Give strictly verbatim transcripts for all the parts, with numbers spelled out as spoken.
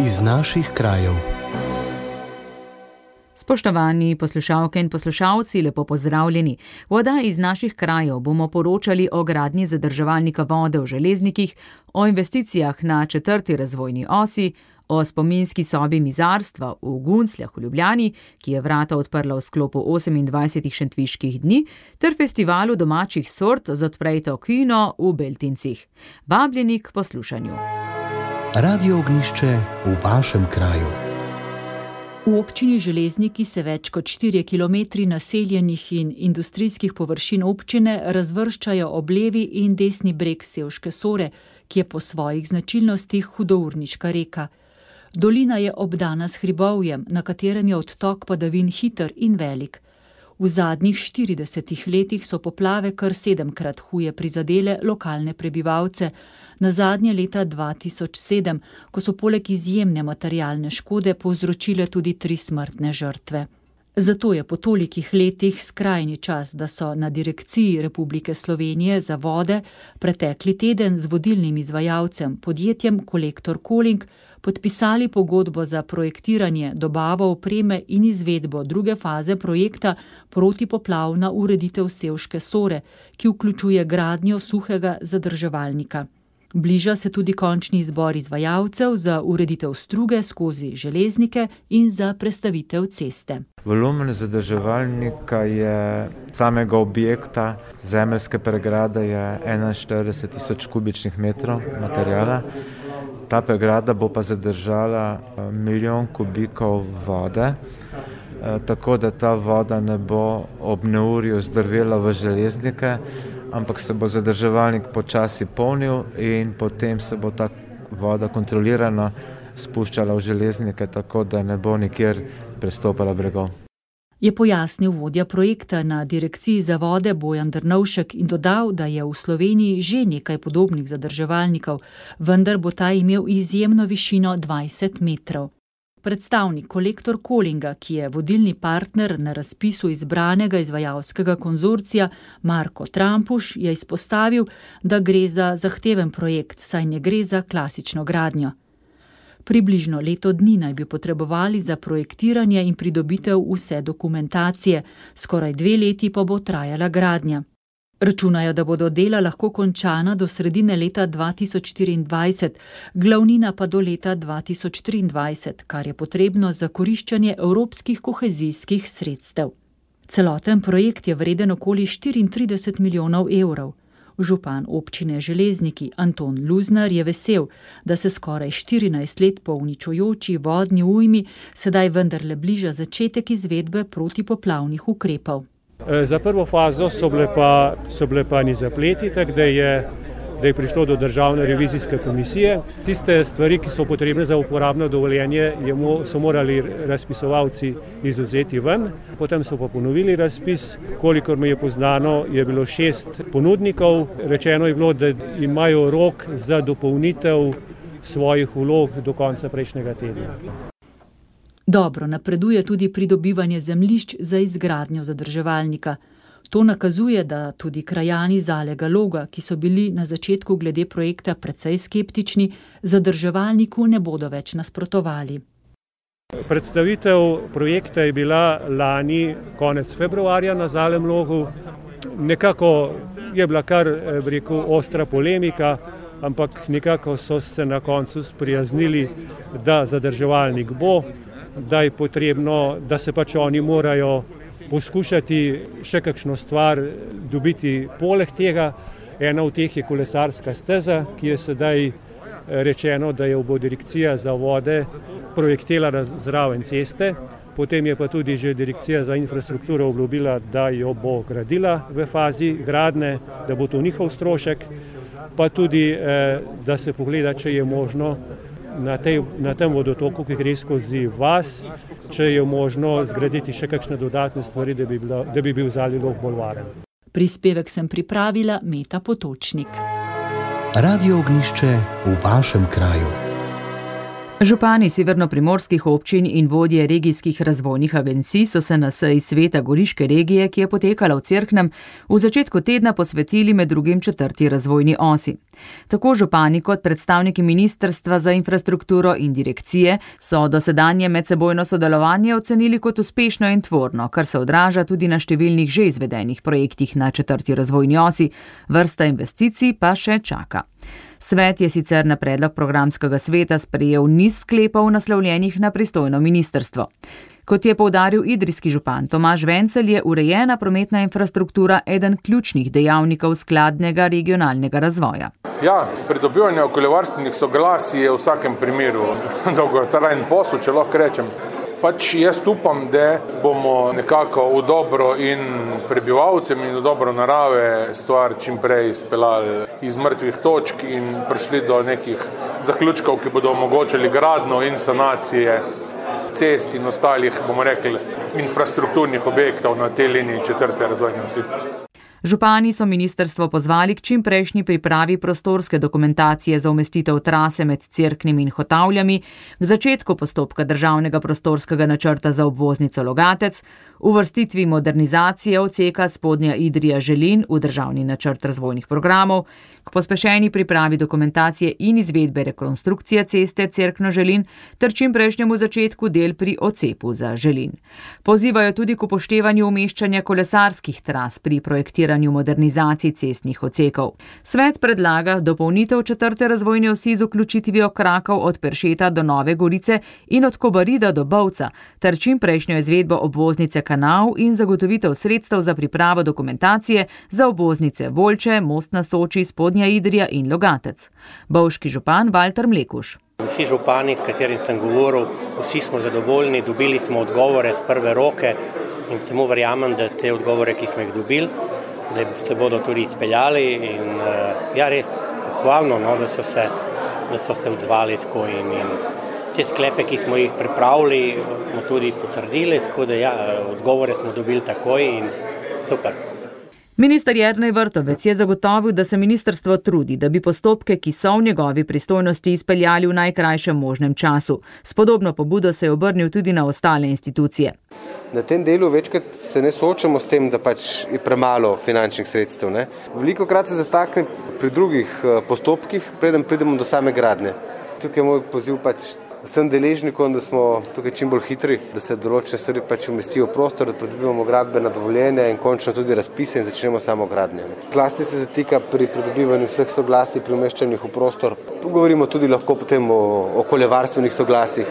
Iz naših krajev. Spoštovani poslušalke in poslušalci, lepo pozdravljeni. V oddaji Iz naših krajev bomo poročali o gradnji zadrževalnika vode v Železnikih, o investicijah na četrti razvojni osi, o spominski sobi mizarstva v Guncljah v Ljubljani, ki je vrata odprla v sklopu osemindvajsetih šentviških dni, ter festivalu domačih sort z Odprejto kino v Beltincih. Vabljeni k poslušanju. Radio Ognjišče v vašem kraju. V občini Železniki se več kot štirje kilometri naseljenih in industrijskih površin občine razvrščajo ob levi in desni breg Sevške Sore, ki je po svojih značilnostih hudourniška reka. Dolina je obdana s hribovjem, na katerem je odtok padavin hiter in velik. V zadnjih štiridesetih letih so poplave kar sedemkrat huje prizadele lokalne prebivalce, nazadnje leta dva tisoč sedem, ko so poleg izjemne materialne škode povzročile tudi tri smrtne žrtve. Zato je po tolikih letih skrajni čas, da so na Direkciji Republike Slovenije za vode pretekli teden z vodilnim izvajalcem, podjetjem Kolektor Koling, podpisali pogodbo za projektiranje, dobavo opreme in izvedbo druge faze projekta protipoplavna ureditev Sevške Sore, ki vključuje gradnjo suhega zadrževalnika. Bliža se tudi končni izbor izvajalcev za ureditev struge skozi Železnike in za prestavitev ceste. Volumen zadrževalnika je samega objekta, zemeljske pregrade je enainštirideset tisoč kubičnih metrov materijala. Ta pregrada bo pa zadržala milijon kubikov vode, tako da ta voda ne bo ob neurju zdrvela v Železnike, ampak se bo zadrževalnik počasi polnil in potem se bo ta voda kontrolirano spuščala v Železnike, tako da ne bo nikjer prestopala bregov. Je pojasnil vodja projekta na Direkciji za vode Bojan Drnovšek in dodal, da je v Sloveniji že nekaj podobnih zadrževalnikov, vendar bo ta imel izjemno višino dvajset metrov. Predstavnik Kolektor Kolinga, ki je vodilni partner na razpisu izbranega izvajalskega konzorcija Marko Trampuš, je izpostavil, da gre za zahteven projekt, saj ne gre za klasično gradnjo. Približno leto dni naj bi potrebovali za projektiranje in pridobitev vse dokumentacije, skoraj dve leti pa bo trajala gradnja. Računajo, da bodo dela lahko končana do sredine leta dva tisoč štiriindvajset, glavnina pa do leta dva tisoč triindvajset, kar je potrebno za koriščenje evropskih kohezijskih sredstev. Celoten projekt je vreden okoli štiriintrideset milijonov evrov. Župan občine Železniki Anton Luznar je vesel, da se skoraj štirinajst let po uničujoči vodni ujmi sedaj vendarle bliža začetek izvedbe protipoplavnih ukrepov. Za prvo fazo so bile pa, so bile pa ni zapleti, tako da je, da je prišlo do državne revizijske komisije. Tiste stvari, ki so potrebne za uporabno dovoljenje, je mo, so morali razpisovalci izvzeti ven. Potem so pa ponovili razpis. Kolikor mi je poznano, je bilo šest ponudnikov. Rečeno je bilo, da imajo rok za dopolnitev svojih vlog do konca prejšnjega tedna. Dobro napreduje tudi pridobivanje zemljišč za izgradnjo zadrževalnika. To nakazuje, da tudi krajani Zalega Loga, ki so bili na začetku glede projekta precej skeptični, zadrževalniku ne bodo več nasprotovali. Predstavitev projekta je bila lani konec februarja na Zalem Logu. Nekako je bila kar, bi rekel, ostra polemika, ampak nekako so se na koncu sprijaznili, da zadrževalnik bo, da je potrebno, da se pač oni morajo poskušati še kakšno stvar dobiti poleg tega. Ena od teh je kolesarska steza, ki je sedaj rečeno, da jo bo Direkcija za vode projektirala zraven ceste. Potem je pa tudi že Direkcija za infrastrukturo obljubila, da jo bo gradila v fazi gradnje, da bo to njihov strošek, pa tudi, da se pogleda, če je možno Na, tej, na tem vodotoku, ki gre skozi vas, če je možno zgraditi še kakšne dodatne stvari, da bi, bila, da bi bil Zalij Log bolj varen. Prispevek sem pripravila Meta Potočnik. Radio Ognjišče v vašem kraju. Župani severnoprimorskih občin in vodje regijskih razvojnih agencij so se na seji sveta Goriške regije, ki je potekala v Cerknem, v začetku tedna posvetili med drugim četrti razvojni osi. Tako župani kot predstavniki Ministrstva za infrastrukturo in direkcije so dosedanje medsebojno sodelovanje ocenili kot uspešno in tvorno, kar se odraža tudi na številnih že izvedenih projektih na četrti razvojni osi, vrsta investicij pa še čaka. Svet je sicer na predlog programskega sveta sprejel niz sklepov naslovljenih na pristojno ministrstvo. Kot je poudaril idrijski župan Tomaž Vencelj, je urejena prometna infrastruktura eden ključnih dejavnikov skladnega regionalnega razvoja. Ja, pridobivanje okoljevarstvenih soglasij je v vsakem primeru dolgotrajen posel, če lahko rečem. Pač jaz upam, da bomo nekako v dobro in prebivalcem in v dobro narave stvar čim prej speljali iz mrtvih točk in prišli do nekih zaključkov, ki bodo omogočili gradnjo in sanacije cest in ostalih, bomo rekli, infrastrukturnih objektov na tej liniji četrte razvojne osi. Župani so ministrstvo pozvali k čimprejšnji pripravi prostorske dokumentacije za umestitev trase med Cerknim in Hotavljami, k začetku postopka državnega prostorskega načrta za obvoznico Logatec, uvrstitvi modernizacije odseka Spodnja Idrija-Želin v državni načrt razvojnih programov, k pospešeni pripravi dokumentacije in izvedbe rekonstrukcije ceste Cerkno-Želin ter čimprejšnjemu začetku del pri odcepu za Želin. Pozivajo tudi k upoštevanju umeščanja kolesarskih tras pri projektiranju modernizacij cestnih odsekov. Svet predlaga dopolnitev četrte razvojne osi z vključitvijo krakov od Peršeta do Nove Gorice in od Kobarida do Bovca ter čimprejšnjo izvedbo obvoznice Kanal in zagotovitev sredstev za pripravo dokumentacije za obvoznice Volče, Most na Soči, Spodnja Idrija in Logatec. Bovški župan Valter Mlekuš. Vsi župani, s katerim sem govoril, vsi smo zadovoljni, dobili smo odgovore z prve roke in samo verjamem, da te odgovore, ki smo jih dobili, da se bodo tudi izpeljali in ja, res pohvalno, no, da so se, da so se odzvali tako in, in te sklepe, ki smo jih pripravili, smo tudi potrdili, tako da ja, odgovore smo dobili takoj in super. Minister Jernej Vrtovec je zagotovil, da se ministrstvo trudi, da bi postopke, ki so v njegovi pristojnosti, izpeljali v najkrajšem možnem času. S podobno pobudo se je obrnil tudi na ostale institucije. Na tem delu večkrat se ne soočamo s tem, da pač je premalo finančnih sredstev. Ne? Velikokrat se zastakne pri drugih postopkih, preden pridemo do same gradnje. Tukaj je moj poziv pač vsem deležnikom, da smo tukaj čim bolj hitri, da se določene stvari pač umestijo v prostor, da pridobivamo gradbena dovoljenja in končno tudi razpise in začnemo samo gradnje. Zlasti se zatika pri pridobivanju vseh soglasij pri umeščanju v prostor. Tu govorimo tudi lahko potem o okoljevarstvenih soglasjih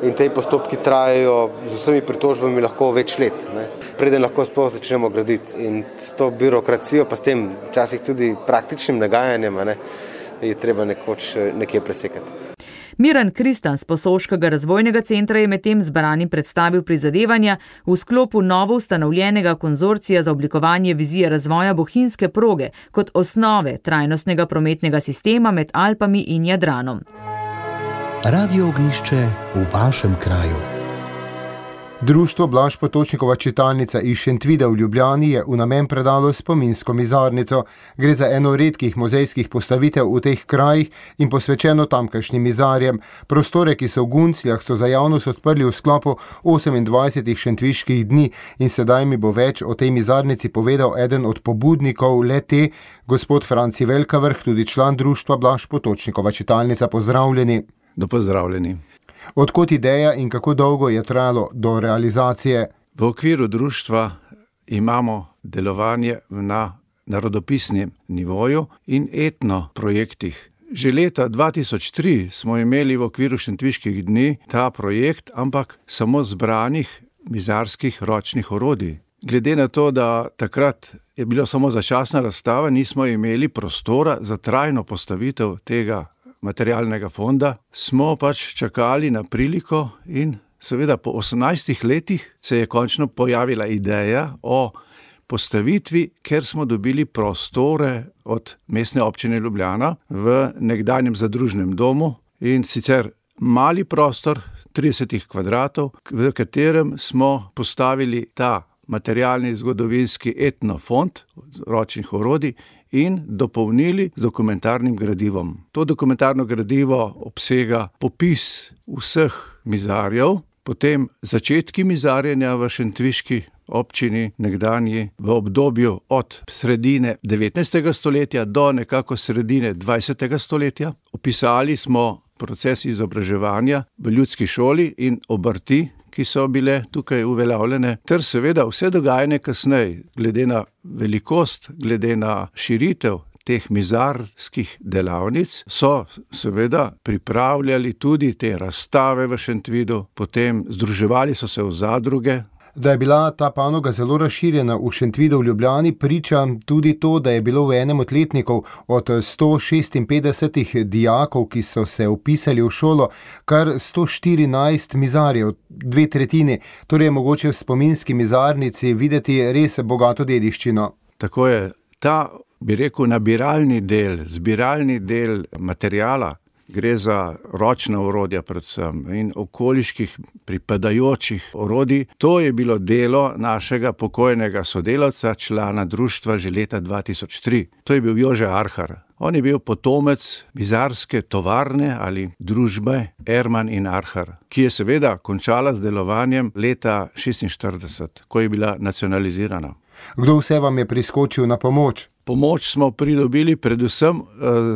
in te postopki trajajo z vsemi pritožbami lahko več let, ne? Preden lahko sploh začnemo graditi. In s to birokracijo, pa s tem včasih tudi praktičnim nagajanjem, ne, je treba nekoč nekje presekati. Miran Kristan z Posoškega razvojnega centra je medtem zbranim predstavil prizadevanja v sklopu novo ustanovljenega konzorcija za oblikovanje vizije razvoja bohinjske proge kot osnove trajnostnega prometnega sistema med Alpami in Jadranom. Radio Ognjišče v vašem kraju. Društvo Blaž Potočnikova čitalnica iz Šentvida v Ljubljani je v namen predalo spominsko mizarnico. Gre za eno redkih muzejskih postavitev v teh krajih in posvečeno tamkajšnjim mizarjem. Prostore, ki so v Guncljah, so za javnost odprli v sklopu osemindvajsetih šentviških dni in sedaj mi bo več o tej mizarnici povedal eden od pobudnikov le-te, gospod Franci Velkavrh, tudi član društva Blaž Potočnikova čitalnica. Pozdravljeni. Do pozdravljeni. Odkot ideja in kako dolgo je trajalo do realizacije? V okviru društva imamo delovanje na narodopisnem nivoju in etno projektih. Že leta dva tisoč tri smo imeli v okviru Šentviških dni ta projekt, ampak samo zbranih mizarskih ročnih orodij. Glede na to, da takrat je bilo samo začasna razstava, nismo imeli prostora za trajno postavitev tega materialnega fonda, smo pač čakali na priliko in seveda po osemnajstih letih se je končno pojavila ideja o postavitvi, ker smo dobili prostore od Mestne občine Ljubljana v nekdanjem zadružnem domu in sicer mali prostor trideset kvadratov, v katerem smo postavili ta materialni zgodovinski etnofond ročnih orodij in dopolnili z dokumentarnim gradivom. To dokumentarno gradivo obsega popis vseh mizarjev, potem začetki mizarjenja v šentviški občini nekdanji v obdobju od sredine devetnajstega stoletja do nekako sredine dvajsetega stoletja. Opisali smo proces izobraževanja v ljudski šoli in obrti, ki so bile tukaj uveljavljene, ter seveda vse dogajanje kasneje, glede na velikost, glede na širitev teh mizarskih delavnic, so seveda pripravljali tudi te razstave v Šentvidu, potem združevali so se v zadruge. Da je bila ta panoga zelo razširjena v Šentvidu v Ljubljani, priča tudi to, da je bilo v enem od letnikov od sto šestinpetdeset dijakov, ki so se vpisali v šolo, kar sto štirinajst mizarjev, dve tretjini, torej je mogoče v spominski mizarnici videti res bogato dediščino. Tako je, ta, bi rekel, nabiralni del, zbiralni del materijala, gre za ročna orodja predvsem in okoliških pripadajočih orodij. To je bilo delo našega pokojnega sodelavca, člana društva že leta dva tisoč tri. To je bil Jože Arhar. On je bil potomec mizarske tovarne ali družbe Erman in Arhar, ki je seveda končala z delovanjem leta šestinštirideset, ko je bila nacionalizirana. Kdo vse vam je priskočil na pomoč? Pomoč smo pridobili predvsem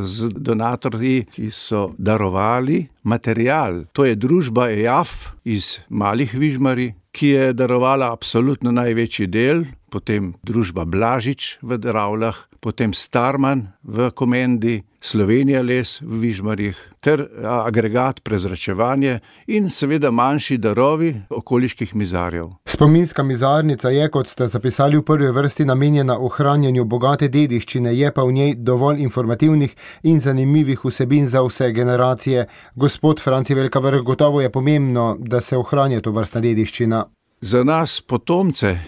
z donatorji, ki so darovali material. To je družba E A F iz Malih Vižmarij, ki je darovala absolutno največji del, potem družba Blažič v Dravljah, potem Starman v Komendi, Slovenija les v Vižmarjih, ter agregat prezračevanje in seveda manjši darovi okoliških mizarjev. Spominska mizarnica je, kot ste zapisali v prvi vrsti, namenjena ohranjanju bogate dediščine, je pa v njej dovolj informativnih in zanimivih vsebin za vse generacije. Gospod Franci Velkavrh, gotovo je pomembno, da se ohranja to vrstna dediščina. Za nas, potomce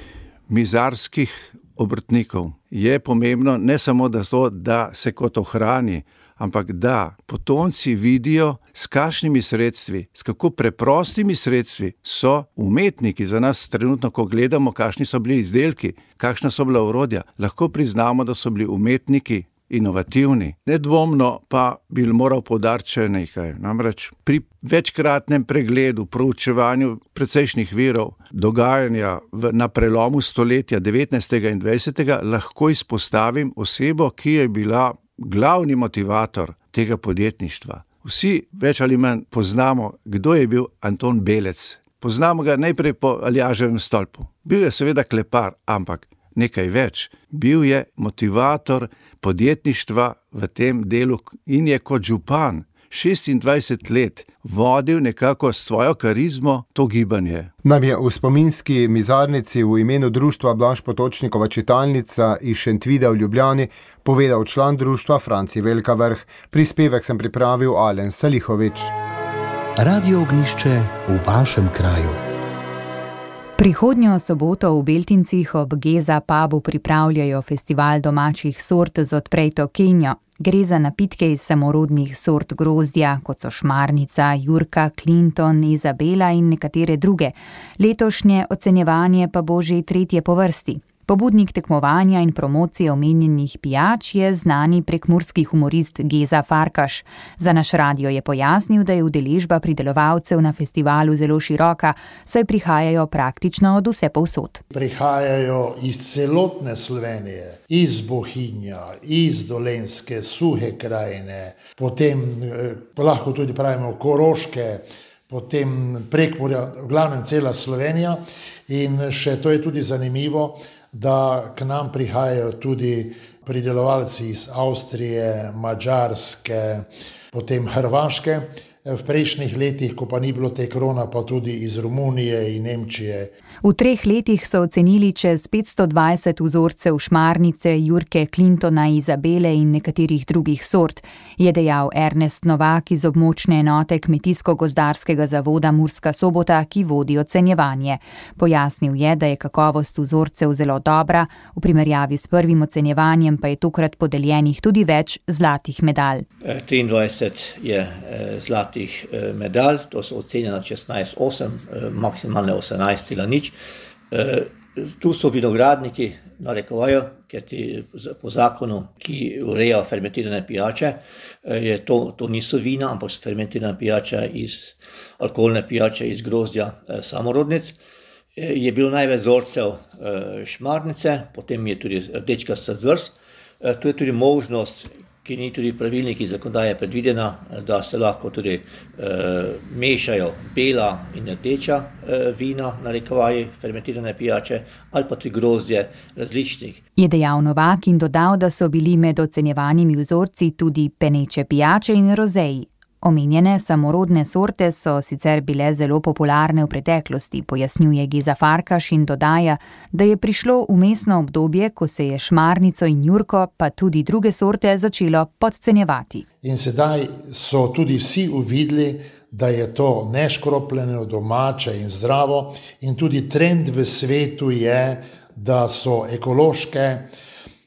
mizarskih obrtnikov, je pomembno ne samo da, to, da se kot ohrani, ampak da potomci vidijo, s kakšnimi sredstvi, s kako preprostimi sredstvi so umetniki. Za nas trenutno, ko gledamo, kakšni so bili izdelki, kakšna so bila orodja, lahko priznamo, da so bili umetniki inovativni. Nedvomno pa bi moral poudariti še nekaj. Namreč pri večkratnem pregledu, proučevanju precejšnjih virov, dogajanja v, na prelomu stoletja devetnajstega in dvajsetega lahko izpostavim osebo, ki je bila glavni motivator tega podjetništva. Vsi več ali manj poznamo, kdo je bil Anton Belec. Poznamo ga najprej po Aljaževem stolpu. Bil je seveda klepar, ampak nekaj več. Bil je motivator podjetništva v tem delu in je kot župan šestindvajset let vodil nekako s svojo karizmo to gibanje. Nam je v spominski mizarnici v imenu društva Blaž Potočnikova čitalnica iz Šentvida v Ljubljani povedal član društva Franci Velkavrh. Prispevek sem pripravil Alen Salihovič. Radio Ognjišče v vašem kraju. Prihodnjo soboto v Beltincih ob Geza pubu pripravljajo festival domačih sort z odprejto kenjo. Gre za napitke iz samorodnih sort grozdja, kot so šmarnica, jurka, Clinton, Izabela in nekatere druge. Letošnje ocenjevanje pa bo že tretje po vrsti. Pobudnik tekmovanja in promocije omenjenih pijač je znani prekmurski humorist Geza Farkaš. Za naš radio je pojasnil, da je udeležba pridelovalcev na festivalu zelo široka, saj prihajajo praktično od vse povsod. Prihajajo iz celotne Slovenije, iz Bohinja, iz Dolenjske, Suhe krajine, potem lahko tudi pravimo Koroške, potem Prekmurja, v glavnem cela Slovenija. In še to je tudi zanimivo, da k nam prihajajo tudi pridelovalci iz Avstrije, Madžarske, potem Hrvaške. V prejšnjih letih, ko pa ni bilo te korona, pa tudi iz Romunije in Nemčije. V treh letih so ocenili čez petsto dvajset vzorcev šmarnice, jurke, Clintona, Izabele in nekaterih drugih sort, je dejal Ernest Novak iz območne enote Kmetijsko-gozdarskega zavoda Murska Sobota, ki vodi ocenjevanje. Pojasnil je, da je kakovost vzorcev zelo dobra, v primerjavi s prvim ocenjevanjem pa je tokrat podeljenih tudi več zlatih medalj. triindvajset je zlatih medalj, to so ocenjena šestnajst osem, maksimalne osemnajst cela nič. Tu so vinogradniki narekovajo, ker ti po zakonu, ki ureja fermentirane pijače, je to, to niso vina, ampak so fermentirane pijače iz alkoholne pijače iz grozdja samorodnic. Je bilo največ vzorcev šmarnice, potem je tudi rdečkasta zvrst. Tu je tudi možnost, ki ni tudi pravilniki zakonodaje predvidena, da se lahko tudi e, mešajo bela in rdeča e, vina, narekovaji fermentirane pijače, ali pa tudi grozdje različnih. Je dejal Novak in dodal, da so bili med ocenjevanimi vzorci tudi peneče pijače in rozeji. Omenjene samorodne sorte so sicer bile zelo popularne v preteklosti, pojasnjuje Geza Farkaš in dodaja, da je prišlo vmesno obdobje, ko se je šmarnico in jurko, pa tudi druge sorte začelo podcenjevati. In sedaj so tudi vsi uvideli, da je to neškropljeno, domače in zdravo, in tudi trend v svetu je, da so ekološke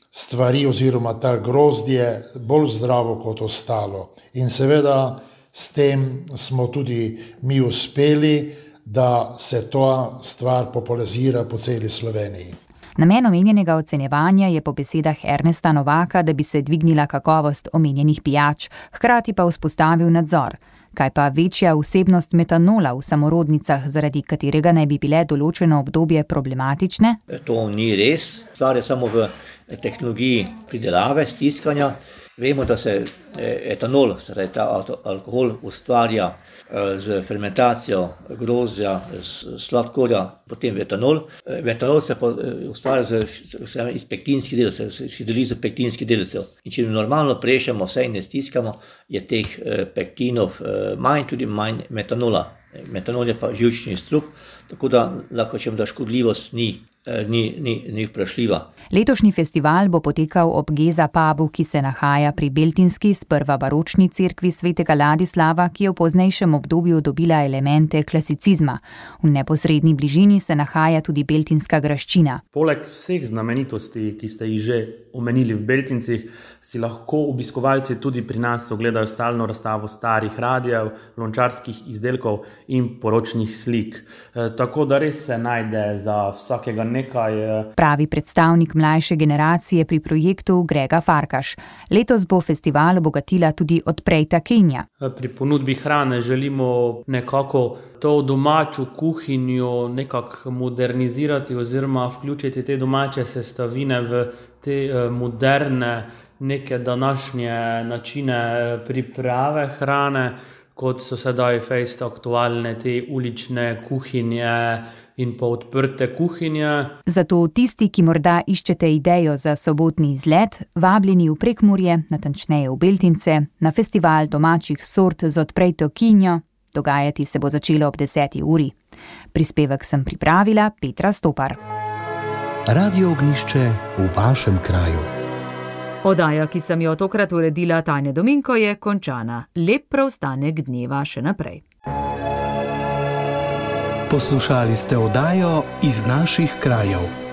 stvari oziroma ta grozdje bolj zdravo kot ostalo. In seveda s tem smo tudi mi uspeli, da se ta stvar popularizira po celi Sloveniji. Namen omenjenega ocenjevanja je po besedah Ernesta Novaka, da bi se dvignila kakovost omenjenih pijač, hkrati pa vzpostavil nadzor. Kaj pa večja vsebnost metanola v samorodnicah, zaradi katerega naj bi bile določeno obdobje problematične? To ni res. Stvar je samo v tehnologiji pridelave, stiskanja. Vemo, da se etanol, torej ta alkohol, ustvarja z fermentacijo grozdja, sladkorja, potem etanol. Etanol se pa ustvarja z, iz pektinskih delcev, iz hidrolizo pektinskih delcev. In če normalno prešamo vse in ne stiskamo, je teh pektinov manj, tudi manj metanola. Metanol je pa živčni strup, tako da lahko rečem, da škodljivost ni. Ni, ni, ni vprašljiva. Letošnji festival bo potekal ob Geza pubu, ki se nahaja pri Beltinski, sprva baročni cerkvi svetega Ladislava, ki je v poznejšem obdobju dobila elemente klasicizma. V neposredni bližini se nahaja tudi Beltinska graščina. Poleg vseh znamenitosti, ki ste jih že omenili v Beltincih, si lahko obiskovalci tudi pri nas ogledajo stalno razstavo starih radijev, lončarskih izdelkov in poročnih slik. E, tako da res se najde za vsakega nekaj. Pravi predstavnik mlajše generacije pri projektu Grega Farkaš. Letos bo festival obogatila tudi odprejta Kenja. Pri ponudbi hrane želimo nekako to domačo kuhinjo nekako modernizirati oziroma vključiti te domače sestavine v te moderne, neke današnje načine priprave hrane, kot so sedaj fejst aktualne te ulične kuhinje in pa odprte kuhinje. Zato tisti, ki morda iščete idejo za sobotni izlet, vabljeni v Prekmurje, natančneje v Beltince, na festival domačih sort z odprejto kinjo. Dogajati se bo začelo ob deseti uri. Prispevek sem pripravila Petra Stopar. Radio Ognjišče v vašem kraju. Oddaja, ki sem jo tokrat uredila Tanja Dominko, je končana. Lep preostanek dneva še naprej. Poslušali ste oddajo Iz naših krajev.